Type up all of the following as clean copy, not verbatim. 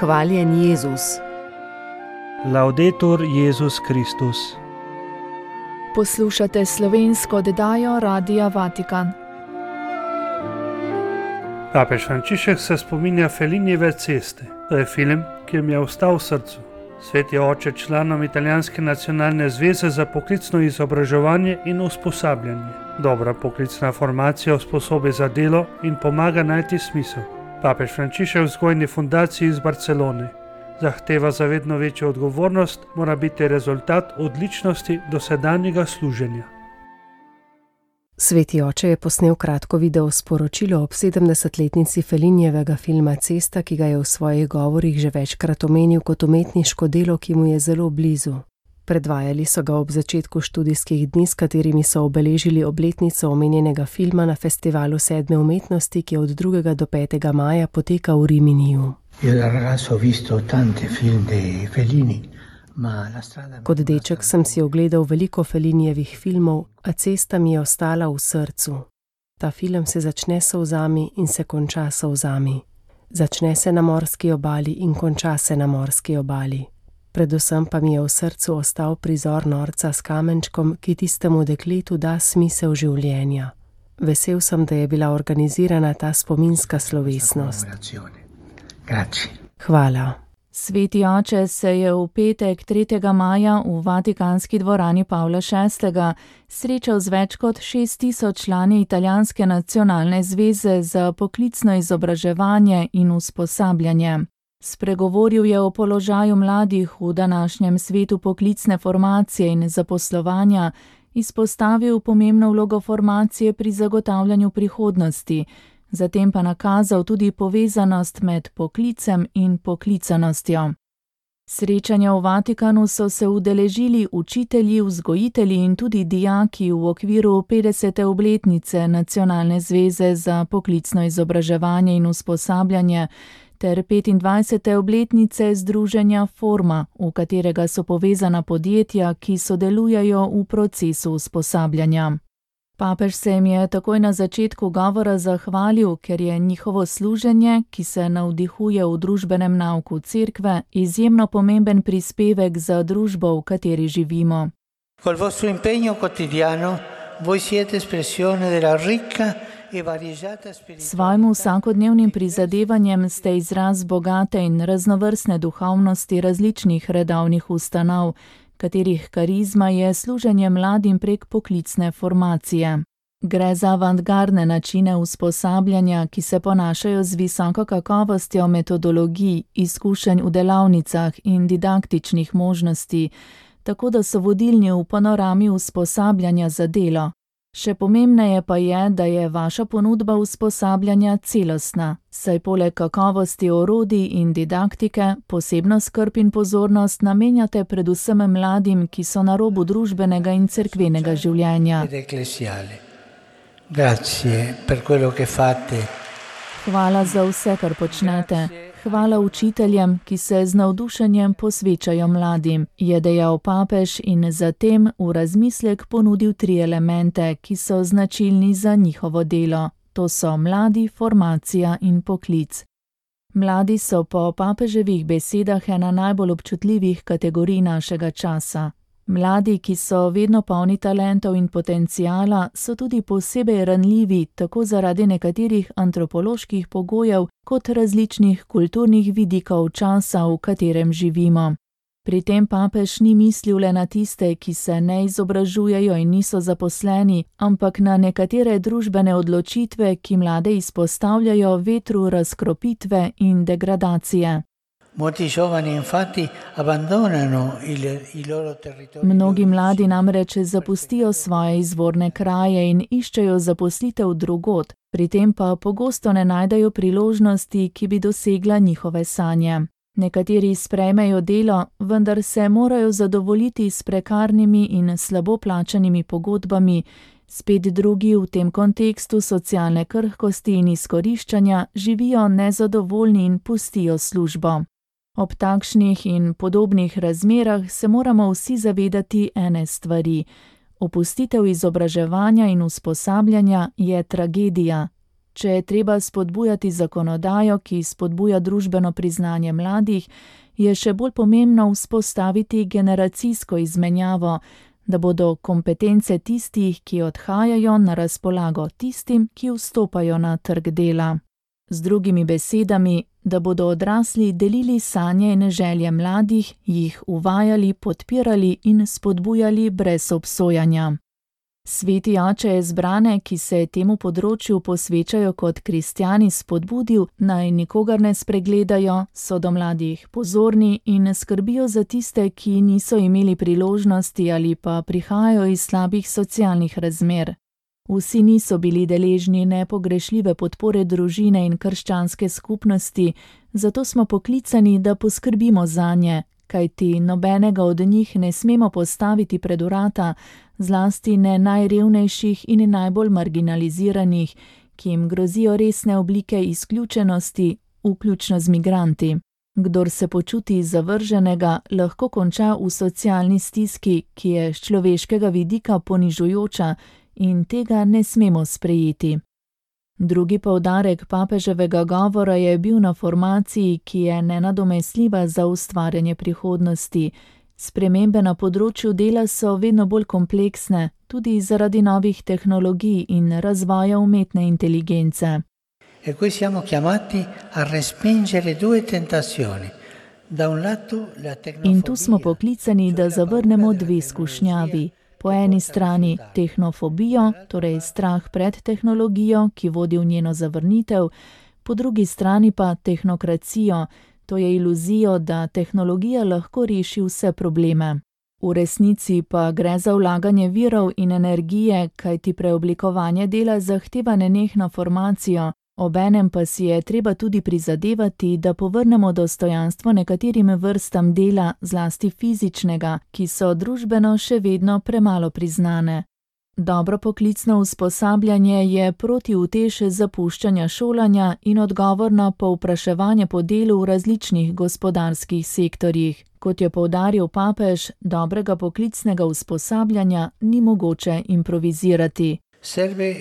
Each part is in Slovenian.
Hvaljen Jezus. Laudetur Jezus Kristus. Poslušate slovensko oddajo Radia Vatikan. Papež Frančišek se spominja Fellinijeve ceste. To je film, ki mi je ostal v srcu. Sveti oče članom Italijanske nacionalne zveze za poklicno izobraževanje in usposabljanje. Dobra poklicna formacija usposobi za delo in pomaga najti smisel. Papež Frančišek v vzgojni fundaciji iz Barcelone zahteva za vedno večjo odgovornost, mora biti rezultat odličnosti dosedanjega služenja. Sveti oče je posnel kratko video sporočilo ob 70-letnici Fellinijevega filma Cesta, ki ga je v svojih govorih že večkrat omenil kot umetniško delo, ki mu je zelo blizu. Predvajali so ga ob začetku študijskih dni, s katerimi so obeležili obletnico omenjenega filma na festivalu 7. umetnosti, ki od 2. do 5. maja poteka v Riminiju. Kot deček sem si ogledal veliko Fellinijevih filmov, a Cesta mi je ostala v srcu. Ta film se začne s solzami in se konča s solzami. Začne se na morski obali in konča se na morski obali. Predvsem pa mi je v srcu ostal prizor norca s kamenčkom, ki tistemu dekletu da smisel življenja. Vesel sem, da je bila organizirana ta spominska slovesnost. Hvala. Sveti oče se je v petek 3. maja v Vatikanski dvorani Pavla VI. Srečal z več kot 6.000 člani Italijanske nacionalne zveze za poklicno izobraževanje in usposabljanje. Spregovoril je o položaju mladih v današnjem svetu poklicne formacije in zaposlovanja, izpostavil pomembno vlogo formacije pri zagotavljanju prihodnosti, zatem pa nakazal tudi povezanost med poklicem in poklicanostjo. Srečanja v Vatikanu so se udeležili učitelji, vzgojitelji in tudi dijaki v okviru 50. obletnice Nacionalne zveze za poklicno izobraževanje in usposabljanje ter 25. obletnice združenja Forma, v katerega so povezana podjetja, ki sodelujejo v procesu usposabljanja. Papež se jim je takoj na začetku govora zahvalil, ker je njihovo služenje, ki se navdihuje v družbenem nauku cerkve, izjemno pomemben prispevek za družbo, v kateri živimo. Col vostro impegno quotidiano voi siete espressione della ricca e variegata spiritualità. Svojim vsakodnevnim prizadevanjem ste izraz bogate in raznovrstne duhovnosti različnih redovnih ustanov, katerih karizma je služenje mladim prek poklicne formacije. Gre za avantgardne načine usposabljanja, ki se ponašajo z visoko kakovostjo metodologij, izkušenj v delavnicah in didaktičnih možnosti, tako da so vodilni v panorami usposabljanja za delo. Še pomembneje pa je, da je vaša ponudba usposabljanja celostna, saj poleg kakovosti orodij in didaktike posebno skrb in pozornost namenjate predvsem mladim, ki so na robu družbenega in cerkvenega življenja. Hvala za vse, kar počnete. Hvala učiteljem, ki se z navdušenjem posvečajo mladim, je dejal papež in zatem v razmislek ponudil 3 elemente, ki so značilni za njihovo delo. To so mladi, formacija in poklic. Mladi so po papeževih besedah ena najbolj občutljivih kategorij našega časa. Mladi, ki so vedno polni talentov in potenciala, so tudi posebej ranljivi tako zaradi nekaterih antropoloških pogojev kot različnih kulturnih vidikov časa, v katerem živimo. Pri tem papež ni mislil le na tiste, ki se ne izobražujejo in niso zaposleni, ampak na nekatere družbene odločitve, ki mlade izpostavljajo vetru razkropitve in degradacije. Mnogi mladi namreč zapustijo svoje izvorne kraje in iščejo zaposlitev drugod, pri tem pa pogosto ne najdejo priložnosti, ki bi dosegla njihove sanje. Nekateri sprejmejo delo, vendar se morajo zadovoljiti s prekarnimi in slabo plačanimi pogodbami, spet drugi v tem kontekstu socialne krhkosti in izkoriščanja živijo nezadovoljni in pustijo službo. Ob takšnih in podobnih razmerah se moramo vsi zavedati ene stvari. Opustitev izobraževanja in usposabljanja je tragedija. Če je treba spodbujati zakonodajo, ki spodbuja družbeno priznanje mladih, je še bolj pomembno vzpostaviti generacijsko izmenjavo, da bodo kompetence tistih, ki odhajajo, na razpolago tistim, ki vstopajo na trg dela. Z drugimi besedami, da bodo odrasli delili sanje in želje mladih, jih uvajali, podpirali in spodbujali brez obsojanja. Sveti oče je zbrane, ki se temu področju posvečajo kot kristjani, spodbudil, naj nikogar ne spregledajo, so do mladih pozorni in skrbijo za tiste, ki niso imeli priložnosti ali pa prihajajo iz slabih socialnih razmer. Vsi niso bili deležni nepogrešljive podpore družine in krščanske skupnosti, zato smo poklicani, da poskrbimo zanje, kajti nobenega od njih ne smemo postaviti pred vrata, zlasti ne najrevnejših in najbolj marginaliziranih, ki jim grozijo resne oblike izključenosti, vključno z migranti. Kdor se počuti zavrženega, lahko konča v socialni stiski, ki je s človeškega vidika ponižujoča, in tega ne smemo sprejeti. Drugi poudarek papeževega govora je bil na formaciji, ki je nenadomestljiva za ustvarjanje prihodnosti. Spremembe na področju dela so vedno bolj kompleksne, tudi zaradi novih tehnologij in razvoja umetne inteligence. E qui siamo chiamati a respingere due tentazioni. Da un lato la tecnofobia. In tu smo poklicani, da zavrnemo dve skušnjavi. Po eni strani tehnofobijo, torej strah pred tehnologijo, ki vodi v njeno zavrnitev, po drugi strani pa tehnokracijo, to je iluzijo, da tehnologija lahko reši vse probleme. V resnici pa gre za vlaganje virov in energije, kajti preoblikovanje dela zahteva nenehno formacijo, obenem pa si je treba tudi prizadevati, da povrnemo dostojanstvo nekaterim vrstam dela, zlasti fizičnega, ki so družbeno še vedno premalo priznane. Dobro poklicno usposabljanje je protiutež zapuščanja šolanja in odgovor na povpraševanje po delu v različnih gospodarskih sektorjih. Kot je poudaril papež, dobrega poklicnega usposabljanja ni mogoče improvizirati. Serve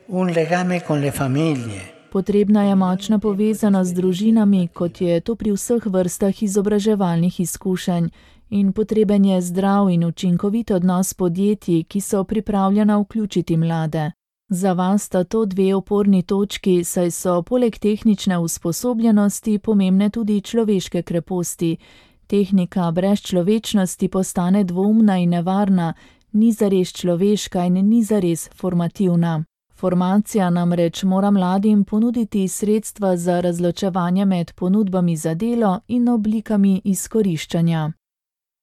un legame con le famiglie. Potrebna je močna povezanost z družinami, kot je to pri vseh vrstah izobraževalnih izkušenj, in potreben je zdrav in učinkovit odnos podjetij, ki so pripravljena vključiti mlade. Za vas sta to dve oporni točki, saj so poleg tehnične usposobljenosti pomembne tudi človeške kreposti. Tehnika brez človečnosti postane dvoumna in nevarna, ni zares človeška in ni zares formativna. Formacija namreč mora mladim ponuditi sredstva za razločevanje med ponudbami za delo in oblikami izkoriščanja.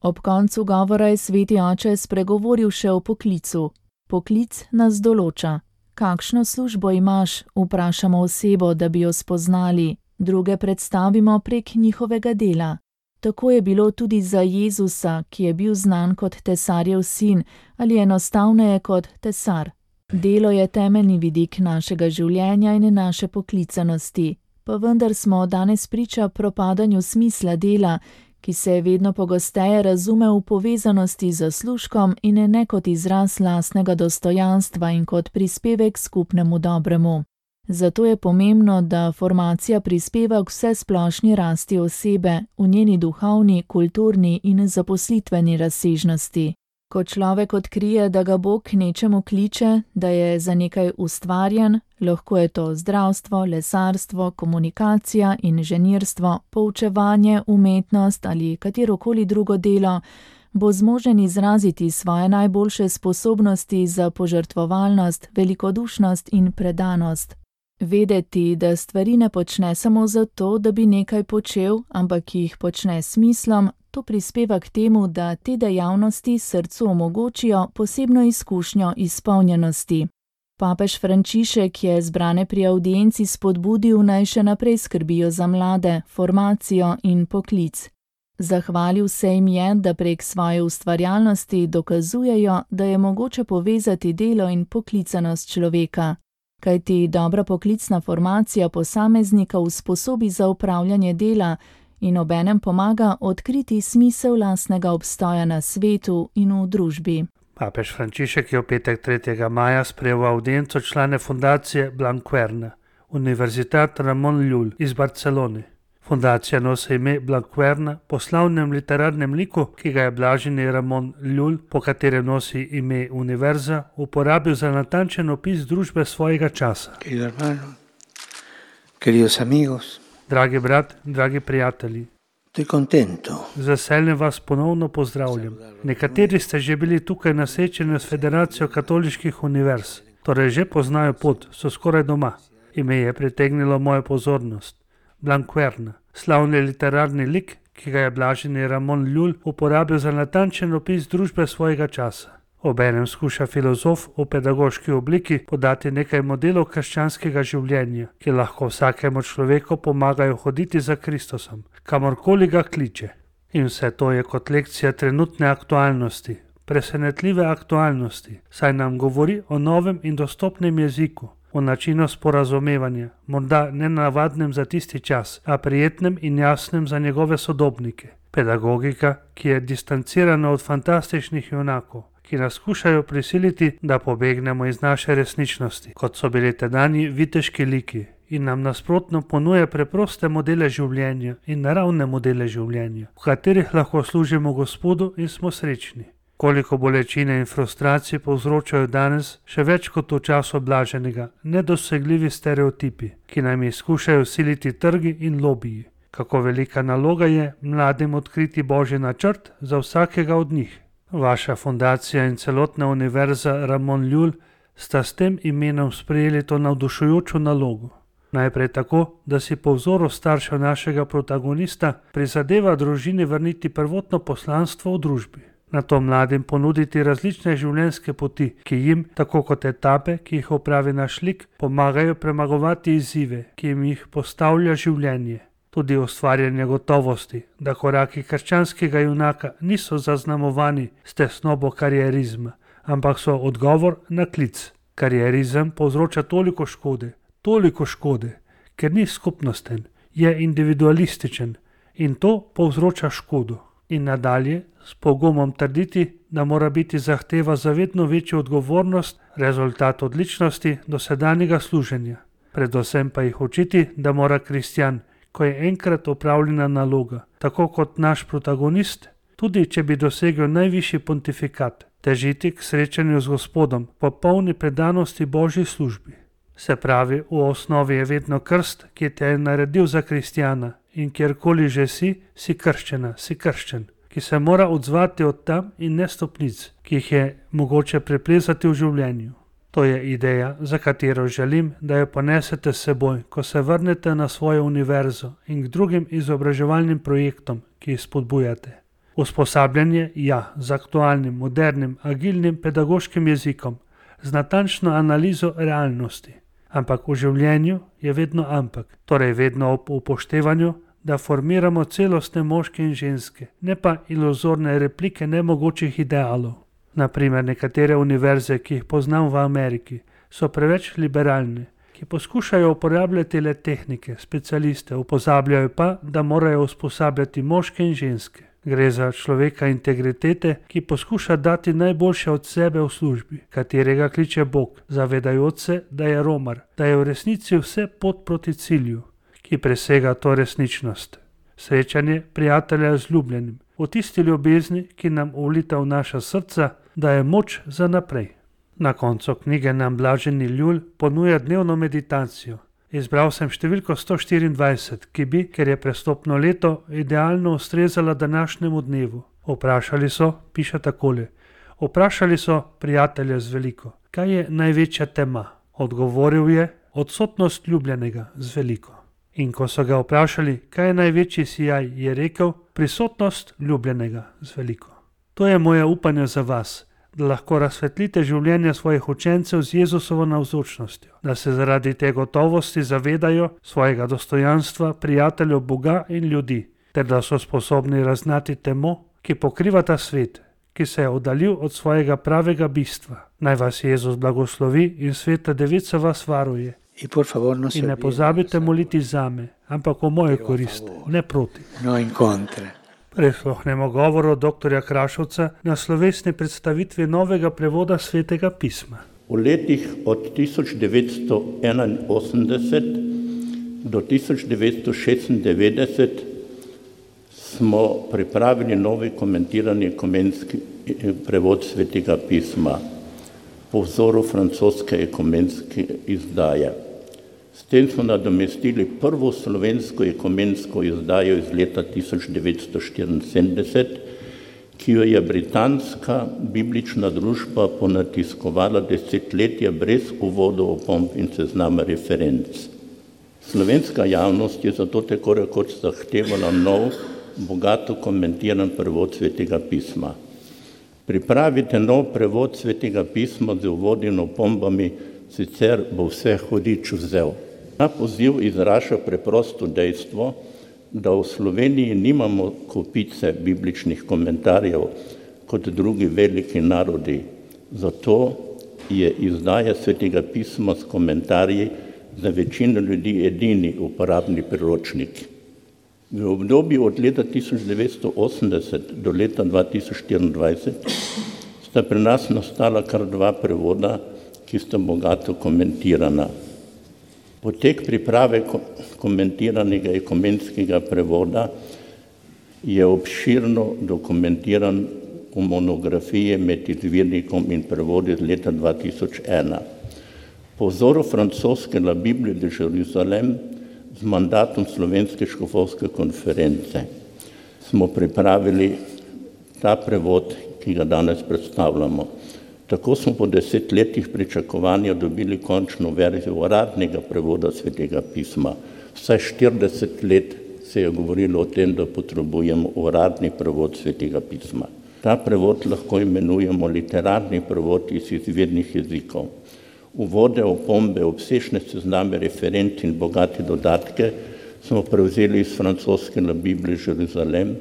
Ob koncu govora je sveti oče spregovoril še o poklicu. Poklic nas določa. Kakšno službo imaš, vprašamo osebo, da bi jo spoznali, druge predstavimo prek njihovega dela. Tako je bilo tudi za Jezusa, ki je bil znan kot tesarjev sin, ali enostavneje kot tesar. Delo je temeljni vidik našega življenja in naše poklicanosti, pa vendar smo danes priča propadanju smisla dela, ki se vedno pogosteje razume v povezanosti z zaslužkom in ne kot izraz lastnega dostojanstva in kot prispevek skupnemu dobremu. Zato je pomembno, da formacija prispeva k vsesplošni rasti osebe v njeni duhovni, kulturni in zaposlitveni razsežnosti. Ko človek odkrije, da ga Bog k nečemu kliče, da je za nekaj ustvarjen, lahko je to zdravstvo, lesarstvo, komunikacija, inženirstvo, poučevanje, umetnost ali katerokoli drugo delo, bo zmožen izraziti svoje najboljše sposobnosti za požrtvovalnost, velikodušnost in predanost. Vedeti, da stvari ne počne samo zato, da bi nekaj počel, ampak jih počne s smislom, to prispeva k temu, da te dejavnosti srcu omogočijo posebno izkušnjo izpolnjenosti. Papež Frančišek je zbrane pri avdienci spodbudil, naj še naprej skrbijo za mlade, formacijo in poklic. Zahvalil se jim je, da prek svoje ustvarjalnosti dokazujejo, da je mogoče povezati delo in poklicanost človeka. Kajti dobra poklicna formacija posameznika usposobi za upravljanje dela in obenem pomaga odkriti smisel lastnega obstoja na svetu in v družbi. Papež Frančišek je v petek 3. maja sprejel v audienco člane fundacije Blanquerna, Universitat Ramon Llull iz Barcelone. Fundacija nosi ime Blanquerna po slavnem literarnem liku, ki ga je blaženi Ramon Llull, po katerem nosi ime univerza, uporabil za natančen opis družbe svojega časa. Dragi brat, dragi prijatelji, z veseljem vas ponovno pozdravljam. Nekateri ste že bili tukaj na srečanju s Federacijo katoliških univerz, torej že poznajo pot, so skoraj doma. Ime je pritegnilo mojo pozornost. Blanquerna, slavni literarni lik, ki ga je blaženi Ramon Llull uporabil za natančen opis družbe svojega časa. Obenem skuša filozof v pedagoški obliki podati nekaj modelov krščanskega življenja, ki lahko vsakemu človeku pomagajo hoditi za Kristusom, kamorkoli ga kliče. In vse to je kot lekcija trenutne aktualnosti, presenetljive aktualnosti, saj nam govori o novem in dostopnem jeziku, o načinu sporazumevanja, morda nenavadnem za tisti čas, a prijetnem in jasnem za njegove sodobnike. Pedagogika, ki je distancirana od fantastičnih junakov, ki nas skušajo prisiliti, da pobegnemo iz naše resničnosti, kot so bili tedanji viteški liki, in nam nasprotno ponuja preproste modele življenja in naravne modele življenja, v katerih lahko služimo Gospodu in smo srečni. Koliko bolečine in frustracij povzročajo danes, še več kot v času blaženega, nedosegljivi stereotipi, ki nam jih skušajo siliti trgi in lobiji. Kako velika naloga je mladim odkriti Božji načrt za vsakega od njih. Vaša fundacija in celotna univerza Ramon Llull sta s tem imenom sprejeli to navdušujočo nalogo. Najprej tako, da si po vzoru staršev našega protagonista prizadeva družini vrniti prvotno poslanstvo v družbi. Nato mladim ponuditi različne življenjske poti, ki jim, tako kot etape, ki jih opravi naš lik, pomagajo premagovati izzive, ki jim jih postavlja življenje. Tudi ustvarjanje gotovosti, da koraki krščanskega junaka niso zaznamovani s tesnobo karierizma, ampak so odgovor na klic. Karierizem povzroča toliko škode, ker ni skupnosten, je individualističen in to povzroča škodo. In nadalje s pogumom trditi, da mora biti zahteva za vedno večjo odgovornost rezultat odličnosti dosedanjega služenja. Predvsem pa jih učiti, da mora kristjan, ko je enkrat opravljena naloga, tako kot naš protagonist, tudi če bi dosegel najvišji pontifikat, težiti k srečanju z Gospodom, po polni predanosti Božji službi. Se pravi, v osnovi je vedno krst, ki te je naredil za kristjana in kjerkoli že si krščena, si krščen, ki se mora odzvati od tam in ne stopnic, ki jih je mogoče preplezati v življenju. To je ideja, za katero želim, da jo ponesete s seboj, ko se vrnete na svojo univerzo in k drugim izobraževalnim projektom, ki jih spodbujate. Usposabljanje, z aktualnim, modernim, agilnim pedagoškim jezikom, z natančno analizo realnosti. Ampak v življenju je vedno ampak, torej vedno ob upoštevanju, da formiramo celostne moške in ženske, ne pa iluzorne replike nemogočih idealov. Naprimer, nekatere univerze, ki jih poznam v Ameriki, so preveč liberalne, ki poskušajo uporabljati le tehnike, specialiste, upozabljajo pa, da morajo usposabljati moške in ženske. Gre za človeka integritete, ki poskuša dati najboljše od sebe v službi, katerega kliče Bog, zavedajoč se, da je romar, da je v resnici vse pot proti cilju, ki presega to resničnost. Srečanje prijatelja z ljubljenim, v tisti ljubezni, ki nam ulita v naša srca, daje moč za naprej. Na koncu knjige nam blaženi Llull ponuja dnevno meditacijo. Izbral sem številko 124, ki bi, ker je prestopno leto, idealno ustrezala današnjemu dnevu. Piše takole, vprašali so prijatelja z veliko, kaj je največja tema? Odgovoril je, odsotnost ljubljenega z veliko. In ko so ga vprašali, kaj je največji sijaj, je rekel, prisotnost ljubljenega z veliko. To je moje upanje za vas, da lahko razsvetlite življenje svojih učencev z Jezusovo navzočnostjo, da se zaradi te gotovosti zavedajo svojega dostojanstva, prijateljev Boga in ljudi, ter da so sposobni raznati temo, ki pokriva ta svet, ki se je oddaljil od svojega pravega bistva. Naj vas Jezus blagoslovi in Sveta Devica vas varuje. In ne pozabite moliti zame, ampak v mojo korist, ne proti. Prisluhnemo govoru dr. Krašovca na slovesni predstavitvi novega prevoda Svetega pisma. V letih od 1981 do 1996 smo pripravili novi komentirani ekumenski prevod Svetega pisma po vzoru francoske ekumenske izdaje. S tem smo nadomestili prvo slovensko ekumensko izdajo iz leta 1974, ki jo je britanska biblična družba ponatiskovala desetletja brez uvodov, opomb in seznama referenc. Slovenska javnost je zato tako rekoč zahtevala nov, bogato komentiran prevod Svetega pisma. Pripravite nov prevod Svetega pisma z uvodi in opombami, sicer bo vse hudič vzel. Ta poziv izraža preprosto dejstvo, da v Sloveniji nimamo kopice bibličnih komentarjev kot drugi veliki narodi. Zato je izdaja Svetega pisma s komentarji za večino ljudi edini uporabni priročnik. V obdobju od leta 1980 do leta 2024 sta pri nas nastala kar dva prevoda, ki sta bogato komentirana. Potek priprave komentiranega ekumenskega prevoda je obširno dokumentiran v monografiji med izvirnikom in prevodi iz leta 2001. Po vzoru francoske La Bible de Jérusalem z mandatom Slovenske škofovske konference smo pripravili ta prevod, ki ga danes predstavljamo. Tako smo po 10 letih pričakovanja dobili končno verzijo uradnega prevoda Svetega pisma. Vsaj 40 let se je govorilo o tem, da potrebujemo uradni prevod Svetega pisma. Ta prevod lahko imenujemo literarni prevod iz izvirnih jezikov. Uvode, opombe, obsežne sezname referenc in bogate dodatke smo prevzeli iz francoske La Bible Jérusalem,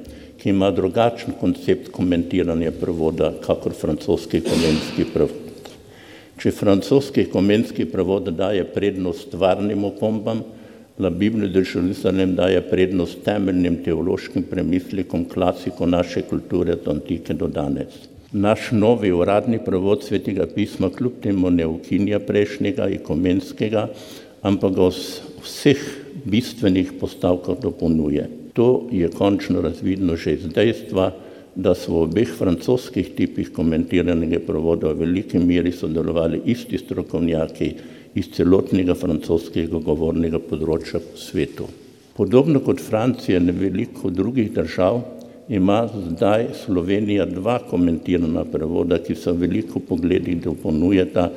ki ima drugačen koncept komentiranja prevoda, kakor francoski ekumenski prevod. Če francoski ekumenski prevod daje prednost stvarnim opombam, La Bible de Jérusalem daje prednost temeljnim teološkim premislekom klasiko naše kulture od antike do danes. Naš novi uradni prevod Svetega pisma kljub temu ne ukinja prejšnjega ekumenskega, ampak ga vseh bistvenih postavkah dopolnjuje. To je končno razvidno že iz dejstva, da so v obeh francoskih tipih komentiranega prevoda v veliki meri sodelovali isti strokovnjaki iz celotnega francoskega govornega področja po svetu. Podobno kot Francija in veliko drugih držav ima zdaj Slovenija dva komentirana prevoda, ki so veliko pogledih dopolnjujeta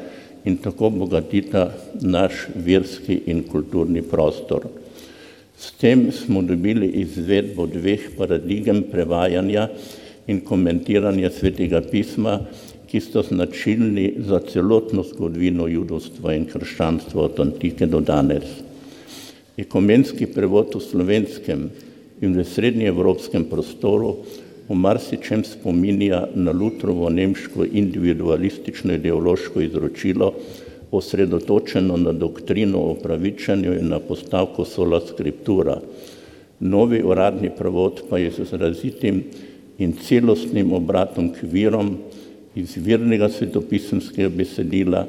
in tako bogatita naš verski in kulturni prostor. S tem smo dobili izvedbo dveh paradigem prevajanja in komentiranja Svetega pisma, ki sta značilni za celotno zgodovino judovstva in krščanstva od antike do danes. Ekumenski prevod v slovenskem in v srednjeevropskem prostoru v marsičem spominja na Lutrovo nemško individualistično ideološko izročilo, osredotočeno na doktrino o pravičenju in na postavko sola scriptura. Novi uradni prevod pa je z izrazitim in celostnim obratom k virom izvirnega svetopisemskega besedila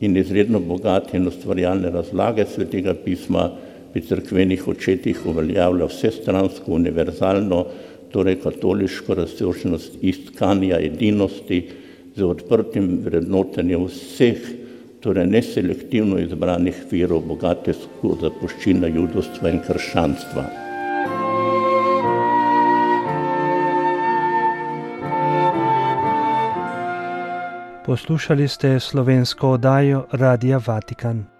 in izredno bogate in ustvarjalne razlage Svetega pisma pri cerkvenih očetih uveljavlja vsestransko univerzalno, torej katoliško razsežnost iskanja edinosti z odprtim vrednotenjem vseh, torej neselektivno izbranih virov bogate zapuščine judovstva in krščanstva. Poslušali ste slovensko oddajo Radia Vatikan.